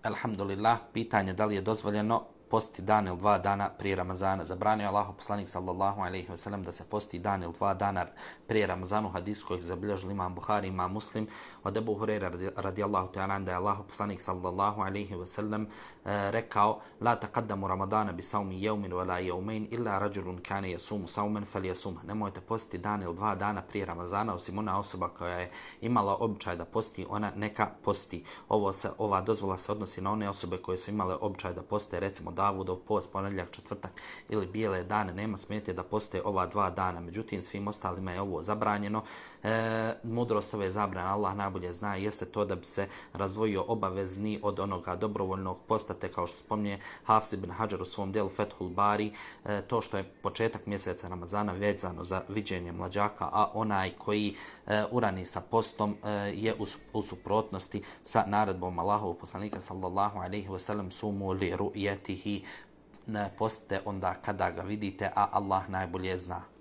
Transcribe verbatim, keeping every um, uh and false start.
Alhamdulillah, pitanje da li je dozvoljeno posti dan ili dva dana prije Ramazana. Zabranio je Allahov poslanik sallallahu alejhi ve sellem da se posti dan ili dva dana prije Ramazana, u hadisu kojeg zabilježili imam Buhari, imam Muslim, od Ebu Hurajra radijallahu ta'ala da je Allahov poslanik sallallahu alejhi ve sellem rekao: "La taqaddamu Ramadana bi sawmi yawmin wala yawmayn illa rajulun kana yasumu sawman falyasum." Nemojte postiti dan ili dva dana prije Ramazana, osim ona osoba koja je imala običaj da posti, ona neka posti. Ovo se, ova dozvola se odnosi na one osobe koje su imale običaj da poste, recimo Davudov post, ponedjeljak, četvrtak ili bijele dane, nema smetnje da poste ova dva dana. Međutim, svim ostalima je ovo zabranjeno. E, mudrost ove zabrane, Allah najbolje zna, jeste to da bi se razvojio obavezni od onoga dobrovoljnog posta, te kao što spominje Hafiz ibn Hadžar u svom djelu Fethul Bari, e, to što je početak mjeseca Ramazana vezano za viđenje mlađaka, a onaj koji e, urani sa postom e, je u, u suprotnosti sa naredbom Allahovog poslanika sallallahu alejhi ve sellem: "Sumu li ru'yatihi", ne postite onda kada ga vidite, a Allah najbolje zna.